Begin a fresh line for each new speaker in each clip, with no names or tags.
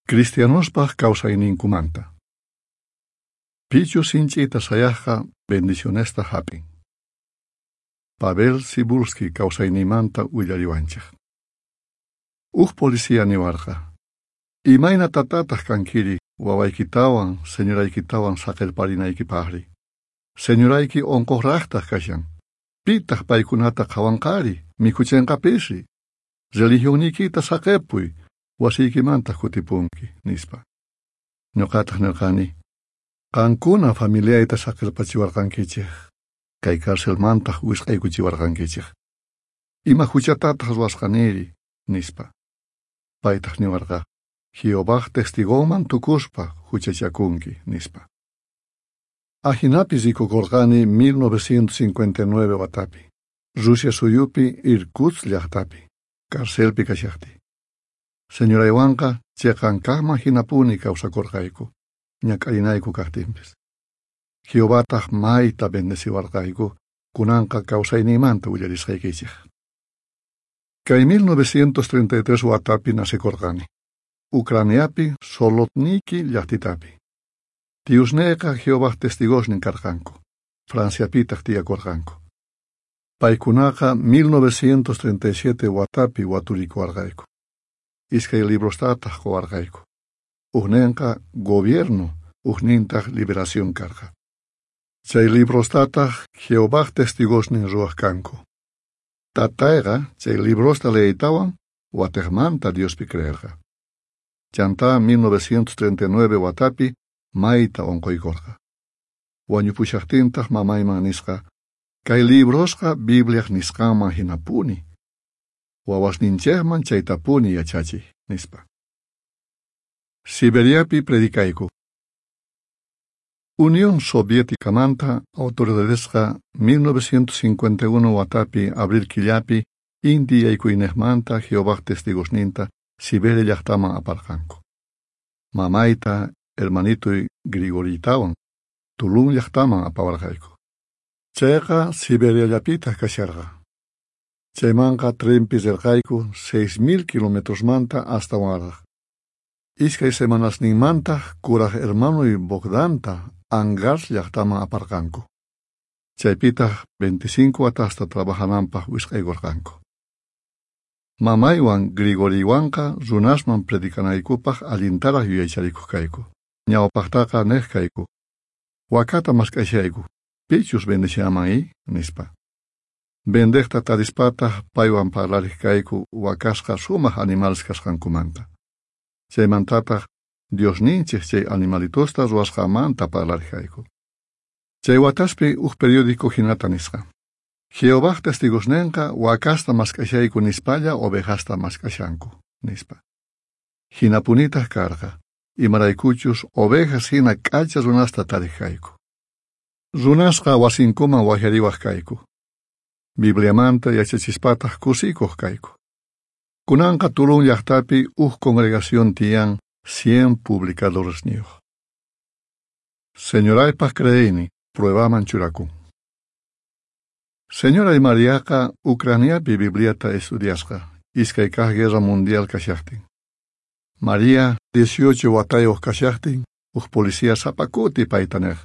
Cristianospaj kawsayninkumanta. Pichus sinch'ita sayajqa bendicionesta jap'in. Pavel Sibulski kawsaynimanta willariwanchej. Uj policía niwarqa: Imayna tatataq kankiri wawaykitawan señoraykitawan saqerparinaykipaqri. Señorayki onqoqraqtaq kashan. Pitaq paykunata qhawanqari, mikhuchenqapisri. Religionniykita saqepuy, wasiykimantaq kutipunki, nispa. Ñuqataq nirqani: Qankuna familiayta saqerpachiwarqankichej, kay carcelmantaq wisq'aykuchiwarqankichej. Ima huchatataq ruwasqaniri, nispa. Paytaq niwarqa: Jehovaj testigonman tukuspa huchachakunki, nispa. Ajinapi rikukurqani 1959 watapi, Rusia suyupi Irkutsk llaqtapi, carcelpi kashaqtiy. Señoraywanqa cheqan kaqman hinapuni kawsakurqayku, ñak'arinayku kaqtinpis. Jehovataq mayta bendeciwarqayku, kunanqa kawsayniymanta willarisqaykichej. Kay 1933 watapi nacekurqani, Ucraniapi Solotniki llaqtitapi. Tiusneyqa Jehovaj testigosnin karqanku, Franciapitaq tiyakurqanku. Paykunaqa 1937 watapi waturikuwarqayku. Iskay librostataq quwarqayku. Ujninqa Gobierno, ujnintaq Liberación karqa. Chay librostataq Jehovaj testigosnin ruwaq kanku. Tatayqa chay librosta leeytawan watejmanta Diospi creerqa. Chantá 1939 watapi mayta onqoykorqa. Wañupushaqtintaq mamayman nisqa: Kay librosqa Bibliaj nisqanman hinapuni. Wawasninchejman chaytapuni yachachiy, nispa. Siberiapi predicayku. Unión Soviéticamanta autoridadesqa 1951 watapi abril killapi inti yaykuynejmanta Jehovaj testigosninta Siberia llaqtaman aparqanku. Mamayta, hermanitoy Grigoritawan Tulun llaqtaman apawarqayku. Chayqa Siberiallapitaq kasharqa. Chaymanqa trenpi rirqayku 6000 kilometrosmanta astawanraq. Iskay semanasninmantaq kuraj hermanoy Bogdanta Angarsk llaqtaman aparqanku. Chaypitaq 25 watasta trabajananpaq wisq'aykurqanku. Mamaywan Grigoriwanqa runasman predicanaykupaq allintaraq yuyaycharikuq kayku. Ñawpaqtaqa neq kayku: Wakata mask'ashayku, pichus vendeshaman i, nispa. Vendejta tarispataq paywan parlariq kayku wakasqa sumaq animales kasqankumanta. Chaymantataq Diosninchej chay animalitosta ruwasqanmanta parlariq kayku. Chay wataspi uj periódico hinata nisqa: Jehovaj testigosnenqa wakasta mask'ashayku nispalla ovejasta mask'ashanku, nispa. Hinapunitaq karqa, imaraykuchus ovejas hina k'acha runasta tariq kayku. Runasqa wasinkuman wajyariwaq kayku. Bibliamanta yachachispataq kusikuq kayku. Kunanqa Tulun llaqtapi uj congregación tiyan 100 publicadoresniyuq. Señoraypaq creeynin pruebaman churakun. Señoray Mariaqa Ucraniapi Bibliata estudiasqa, iskay kaq guerra mundial kashaqtin. Maria 18 watayuq kashaqtin, uj policía sapa kuti payta neq: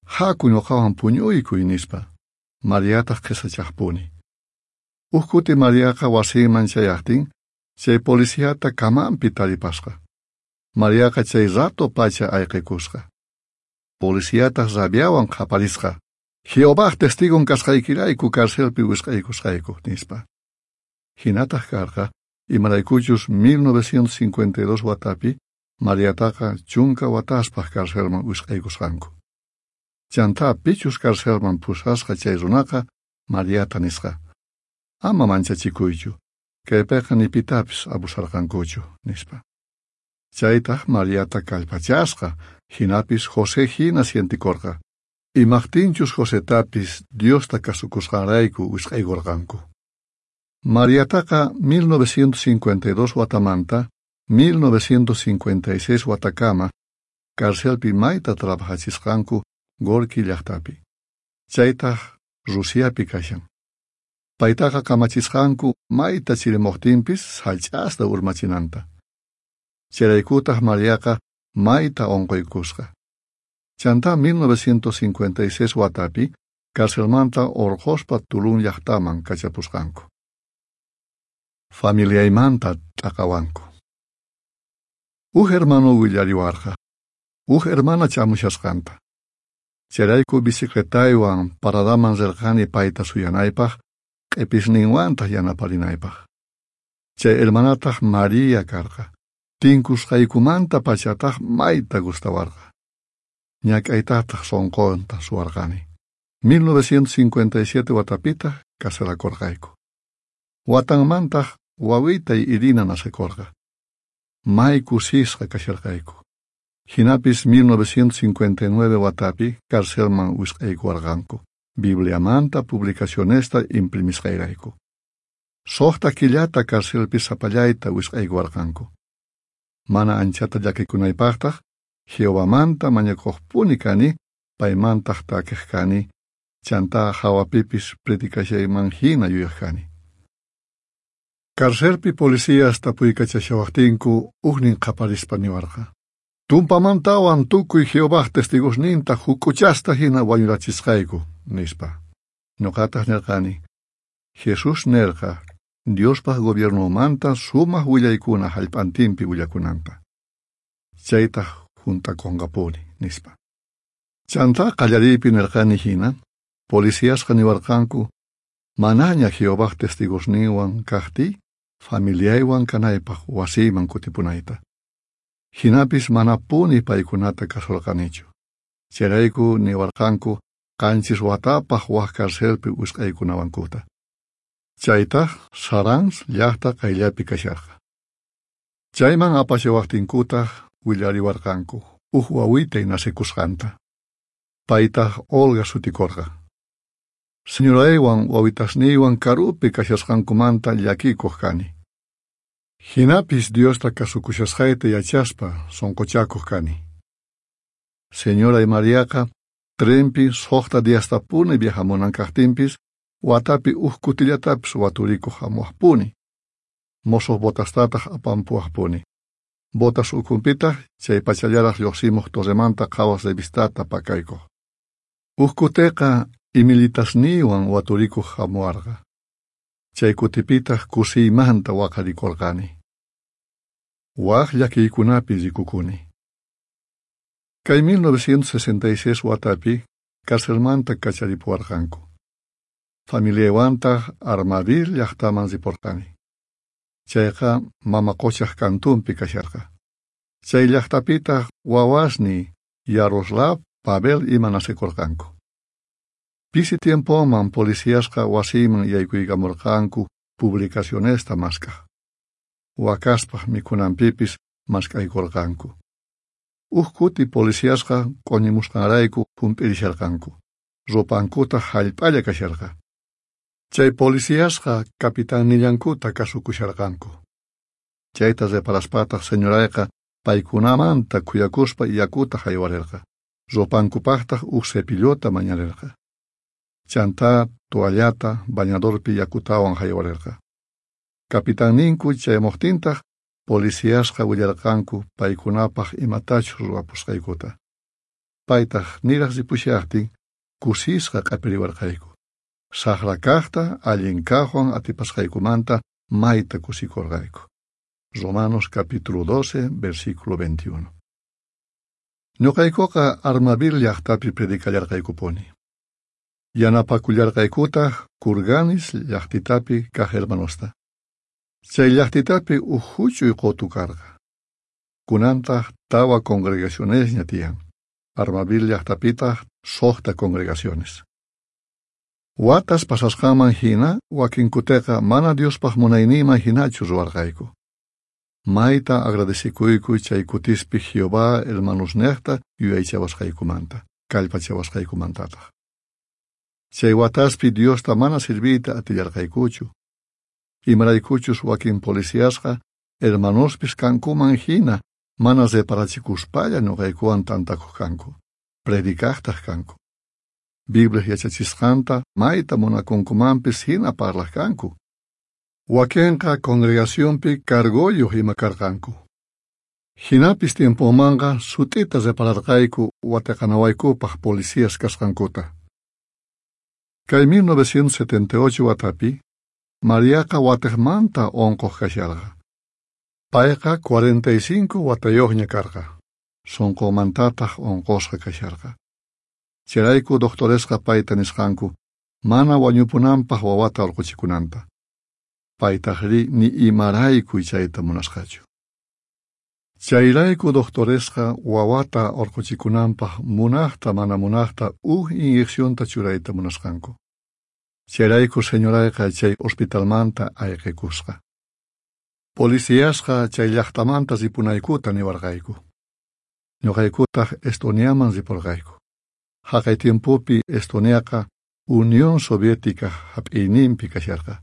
Haku ñuqawan puñuykuy, nispa. Mariataq qhisachaqpuni. Uj kuti Mariaqa wasinman chayaqtin, chay policiata camanpi taripasqa. Mariaqa chay rato pacha ayqikusqa. Policiataq rabiawan qaparisqa: Jehovaj testigon kasqaykirayku carcelpi wisq'aykusqayku, nispa. Hinataq karqa, imaraykuchus 1952 watapi Mariataqa 10 wataspaq carcelman wisq'aykusqanku. Chantá pichus carcelman pusasqa chay runaqa Mariata nisqa: Ama manchachikuychu, kaypiqa ni pitapis abusarqankuchu, nispa. Chaytaq Mariata kallpachasqa, hinapis José hina sientikorqa. Imaqtinchus Josetapis Diosta kasukusqanrayku wisq'aykurqanku. Mariataqa 1952 watamanta 1956 watakama carcelpi mayta trabajachisqanku Gorki llaqtapi. Chaytaq Rusiapi kashan. Paytaqa kamachisqanku mayta chirimuqtinpis sach'asta urmachinanta. Chayraykutaj Mariaqa mayta onqoykusqa. Chantá 1956 watapi carcelmanta orqhospa Tulun llajtaman kachapusqanku. Familiaymanta t'aqawanku. Uj hermano willariwarqa, uj hermana chamushasqanta. Chayrayku bicicletaywan paradaman rirqani payta suyanaypaq, q'episninwantaq yanaparinaypaq. Chay hermanataq Maria karqa. Tinkusqaykumanta pachataq mayta gustawarqa. Ñak'aytataq sonqonta suwarqani. 1957 watapitaq casarakorqayku. Watanmantaq wawitay Irina nacekorqa. May kusisqa kasharqayku. Jinapis 1959 watapi carcelman wisq'aykuwarqanku, Bibliamanta publicacionesta imprimisqayrayku. Suqta killata carcelpi sapallayta wisq'aykuwarqanku. Mana anchata llakikunaypaqtaq Jehovamanta mañakuqpuni kani, paymantaq takiq kani, chantá hawapipis predicashayman hina yuyaq kani. Carcelpi policías tapuykachashawaqtinku ujnin qaparispa niwarqa: Tumpamantawan tukuy Jehovaj testigosninta huk'uchasta hina wañurachisqayku, nispa. Ñuqataq nirqani: Jesús nerqa Diospaj gobiernomanta sumaq willaykuna hallp'antinpi willakunanta. Chaytaq junt'akunqapuni, nispa. Chantá qallariypi nirqani hina, policíasqa niwarqanku manaña Jehovaj testigosninwan kaqtiy familiaywan kanaypaq wasiyman kutipunayta. Jinapis manapuni paykunata kasurqanichu. Chayrayku niwarqanku 7 watapaq waj carcelpi wisq'aykunawankuta. Chaytaq Saransk llaqta qayllapi kasharqa. Chayman apashawaqtinkutaq willariwarqanku uj wawitay nacekusqanta. Paytaq Olga sutikorqa. Señoraywan wawitasniywan karupi kashasqankumanta llakikuq kani. Jinapis Diosta kasukushasqayta yachaspa sonqochakuq kani. Señoray Mariaqa trenpi 6 diastapuni viajamunan kaqtinpis watapi uj kutillatapis waturikuq hamuwaqpuni. Mosoq botastataq apampuwaqpuni. Botas ukhunpitaq chay pachallaraq lluqsimuq Torremanta Qhawaq revistata pakaykuq. Uj kuteqa imilitasniywan waturikuq hamuwarqa. Chay kutipitaq kusiymanta waqarikurqani. Waj llakiykunapi rikukuni. Kay 1966 watapi carcelmanta kacharipuwarqanku. Familiaywantaq Armavir llaqtaman riporqani. Chayqa mama quchaq kantunpi kasharqa. Chay llaqtapitaq wawasniy Yaroslav, Pavel ima nacekurqanku. Pisi tiempoman policíasqa wasiyman yaykuykamurqanku publicacionesta mask'aq. Wakaspaq mikhunanpipis mask'aykurqanku. Uj kuti policíasqa q'uñimusqanrayku hump'irisharqanku. Ropankutaq hallp'alla kasharqa. Chay policíasqa capitannillankuta kasukusharqanku. Chayta reparaspataq señorayqa paykunamanta khuyakuspa yakuta haywarirqa. Ropankupaqtaq uj cepillota mañarirqa. Chantá toallata bañadorpi yakutawan haywarirqa. Capitanninku chayamuqtintaq policíasqa willarqanku paykunapaq imatachus ruwapusqaykuta. Paytaq niraq ripushaqtin kusisqa q'apiriwarqayku. Saqra kaqta allin kaqwan atipasqaykumanta mayta kusikurqayku. Romanos capítulo 12, versículo 21. Ñuqaykuqa Armavir llaqtapi predicallarqaykupuni. Yanapakullarqaykutaq Kurganis llaqtitapi kaq hermanosta. Chay llaqtitapi uj huch'uy qutu karqa. Kunantaq 4 congregacionesña tiyan. Armavir llaqtapitaq 6 congregaciones. Watas pasasqanman hina wakinkuteqa mana Diospaq munayninman hinachu ruwarqayku. Mayta agradecikuyku chay kutispi Jehová hermanosnejta yuyaychawasqaykumanta, kallpachawasqaykumantataq. Chay wataspi Diosta mana sirviyta atillarqaykuchu. Imaraykuchus wakin policíasqa hermanospis kankuman hina mana reparachikuspalla ñuqaykuwan tantakuq kanku, predicaqtaq kanku. Biblia yachachisqanta mayta munakunkumanpis hina parlaq kanku. Wakinqa congregacionpi cargoyuq ima karqanku. Jinapis tiemponmanqa sut'ita repararqayku wateqanawaykupaj policías kasqankuta. Kay 1978 watapi, Mariaqa watejmanta onqoj kasharqa. Payqa 45 watayojña karqa, sonqomantataj onqosqa kasharqa. Chayrayku doctoresqa payta nisqanku mana wañupunanpaj wawata orqhuchikunanta. Paytajrí ni imarayku chayta munasqachu. Chayrayku doctoresqa wawata orqhuchikunanpaj munajta mana munajta uj inyeccionta churayta munasqanku. Chayrayku señorayqa chay hospitalmanta ayqikusqa. Policiasqa chay llaqtamanta ripunaykuta niwarqayku. Ñuqaykutaj Estoniaman riporqayku. Jaqay tiempopi Estoniaqa Unión Soviética hap'iyninpi kasharqa.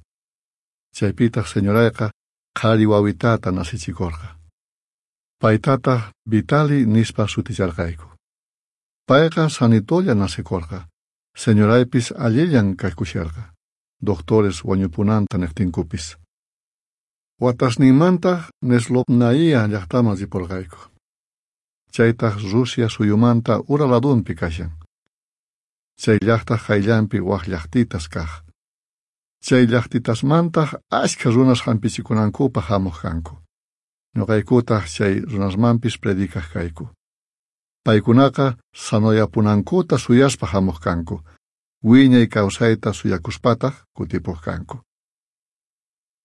Chaypitaj señorayqa qhari wawitata nacichikorqa. Paytataj Vitali nispa suticharqayku. Payqa sanitolla nacikorqa. Señoraypis allillan kakusharqa. Doctores wañupunanta nejtinkupis. Watasninmantaj Nezlobnaia llaqtaman riporqayku. Chaytaj Rusia suyumanta ura ladunpi kashan. Chay llaqtaj qayllanpi waj llaqtitas kaj. Chay llaqtitasmantaj ashkha runas hampichikunankupaj hamuq kanku. Ñuqaykutaj chay runasmanpis predicaj kayku. Paykunaqa sanoyapunankuta suyaspa hamuq kanku. Wiñay kawsayta suyakuspataj kutipuq kanku.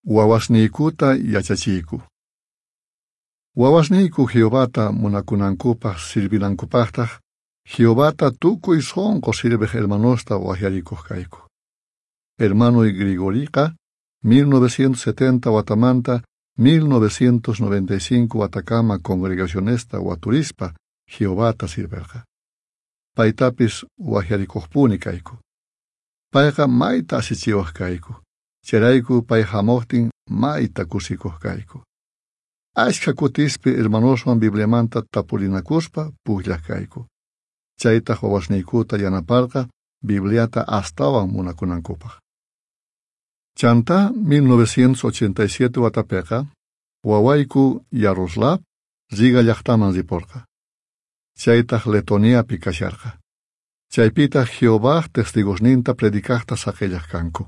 Wawasniykuta yachachiyku. Wawasniyku Jehovata munakunankupaj sirvinankupajtaj Jehovata tukuy sonqo sirvej hermanosta wajyarikuq kayku. Hermanoy Grigoriqa 1970 watamanta 1995 watakama congregacionesta waturispa Jehovata sirverqa. Paytapis wajyarikuqpuni kayku. Payqa mayta asichiwaq kayku. Chayrayku pay hamuqtin mayta kusikuq kayku. Ashkha kutispi hermanoswan Bibliamanta tapurinakuspa pukllaq kayku. Chaytaj wawasniykuta yanaparqa Bibliata astawan munakunankupaj. Chantá 1987 watapiqa wawayku Yaroslav Riga llaqtaman riporqa. Chaytaj Letoniapi kasharqa. Chaypitaj Jehovaj testigosninta predicajta saqellaj kanku.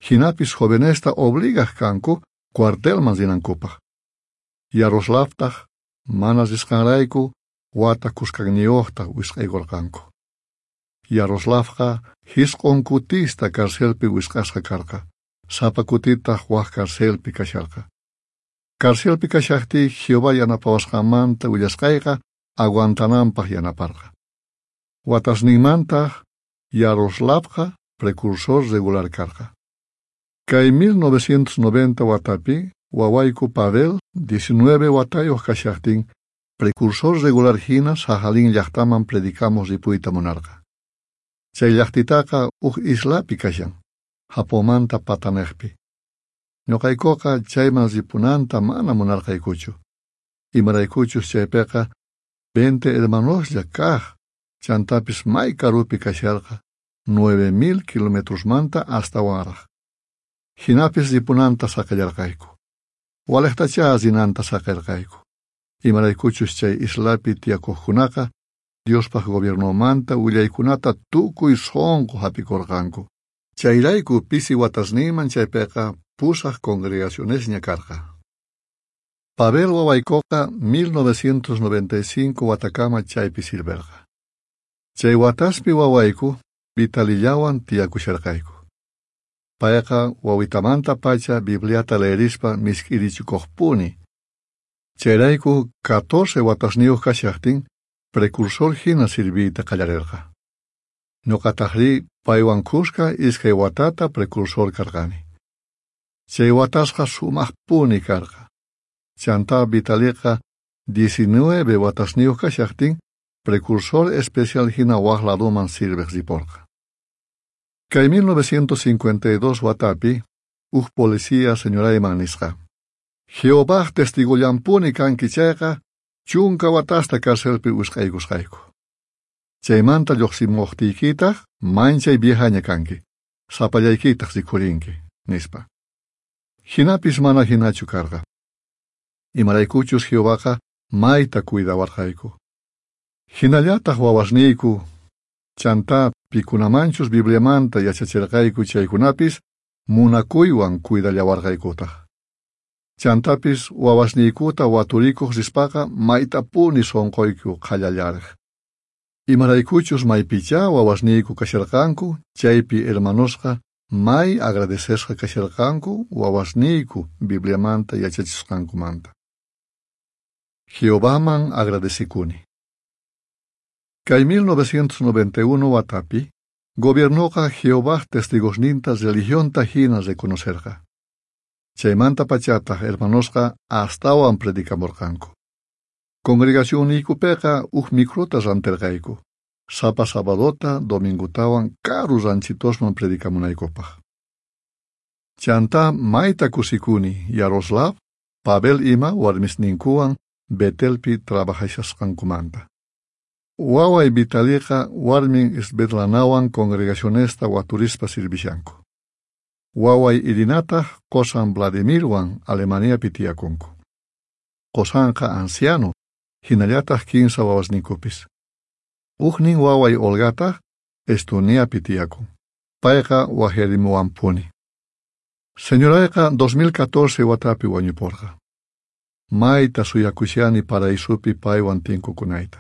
Jinapis jovenesta obligaj kanku cuartelman rinankupaj. Yaroslavtaj mana risqanrayku wata kuskanniyoqta wisq'aykurqanku. Yaroslavqa jisq'on kutista carcelpi wisq'asqa karqa, sapa kutitaq waj carcelpi kasharqa. Carcelpi kashaqtiy Jehová yanapawasqanmanta willasqayqa aguantananpaj yanaparqa. Watasninmantaq Yaroslavqa precursor regular karqa. Kay 1990 watapi wawayku Pavel 19 watayuq kashaqtin precursor regular hina Sajalín llaqtaman predicamos ripuyta munarqa. Chay llaqtitaqa uj islapi kashan, Japonmanta patanejpi. Ñuqaykuqa chayman ripunanta mana munarqaykuchu. Imaraykuchus chaypiqa 20 hermanoslla kaj, chantapis may karupi kasharqa, 9000 kilometrosmanta astawanraj. Jinapis ripunanta saqellarqayku. Walejtachá rinanta saqerqayku. Imaraykuchus chay islapi tiyakuqkunaqa Diospaj gobiernomanta willaykunata tukuy sonqo hap'ikurqanku. Chayrayku pisi watasninman chaypiqa pusaj congregacionesña karqa. Pavel wawaykuqa 1995 watakama chaypi sirverqa. Chay wataspi wawayku Vitalillawan tiyakusharqayku. Payqa wawitamantapacha Bibliata leerispa misk'irichikuqpuni. Chayrayku 14 watasniyuq kashaqtin precursor hina sirviyta qallarerqa. Ñuqatajrí paywan kuska iskay watata precursor karqani. Chay watasqa sumaqpuni karqa. Chantá Vitaliqa 19 watasniyuq kashaqtin precursor especial hina waj ladoman sirvej riporqa. Kay 1952 watapi uj policía señorayman nisqa: Jehovaj testigollampuni kanki chayqa chunka watasta carcelpi wisq'aykusqayku. Chaymanta lluqsimuqtiykitaq manchay viejaña kanki, sapallaykitaq rikhurinki, nispa. Jinapis mana hinachu karqa. Imaraykuchus Jehovaqa mayta cuidawarqayku. Jinallataj wawasniyku, chantá pikunamanchus Bibliamanta yachacherqayku chaykunapis munakuywan cuidallawarqaykutaj. Chantapis wawasniykuta waturikuq rispaqa maytapuni sonqoyku qhallallarej. Imaraykuchus maypichá wawasniyku kasharqanku, chaypi hermanosqa may agradecesqa kasharqanku wawasniyku Bibliamanta yachachisqankumanta. Jehovaman agradecikuni. Kay 1991 watapi, gobiernoqa Jehovaj testigosninta religionta hina reconocerqa. Chaymanta pachataq hermanosqa astawan predikamurqanku. Congregacionniykupiqa uj microta ranterqayku, sapa sabadota domingotawan karu ranchitosman predicamunaykupaq. Chantá mayta kusikuni Yaroslav, Pavel ima warmisninkuwan Betelpi trabajashasqankumanta. Waway Vitaliqa warmin Svetlanawan congregacionesta waturispa sirvishanku. Waway Irinataj qosan Vladimirwan Alemaniapi tiyakunku. Qosanqa anciano, hinallataj kinsa wawasninkupis. Ujnin waway Olgataj Estoniapi tiyakun. Payqa wajyarimuwanpuni. Señorayqa 2014 watapi wañuporqa. Mayta suyakushani paraisupi paywan tinkukunayta.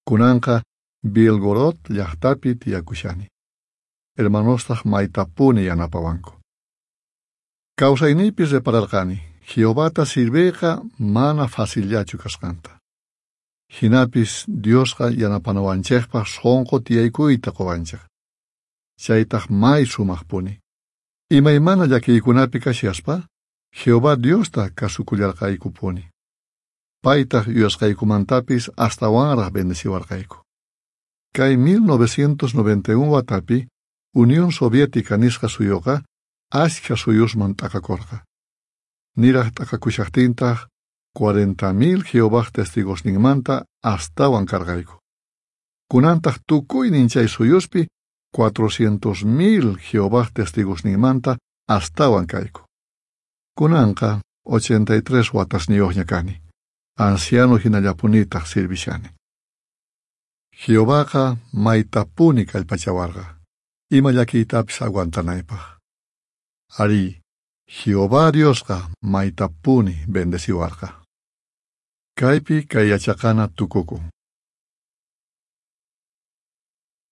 Kunanqa Belgorod llaqtapi tiyakushani. Hermanostaj maytapuni yanapawanku. Kawsayniypi repararqani, Jehovata sirviyqa mana facillachu kasqanta. Jinapis Diosqa yanapanawanchejpaj sonqo tiyaykuyta qowanchej. Chaytaj may sumajpuni. Imaymana llakiykunapi kashaspa, Jehová Diosta kasukullarqaykupuni. Paytaj yuyasqaykumantapis astawanraj bendeciwarqayku. Kay 1991 watapi, Unión Soviética nisqa suyuqa ashkha suyusman t'aqakorqa. Niraj t'aqakushajtintaj 40.000 Jehovaj testigosninmanta astawan karqayku. Kunantaj tukuynin chay suyuspi 400.000 Jehovaj testigosninmanta astawan kayku. Kunanqa 83 watasniyuqña kani. Anciano hinallapunitaj sirvishani. Jehovaqa maytapuni kallpachawarqa, ima llakiytapis aguantanaypaq. Arí, Jehová Diosqa maytapuni bendeciwarqa. Kaypi kay yachaqana tukukun.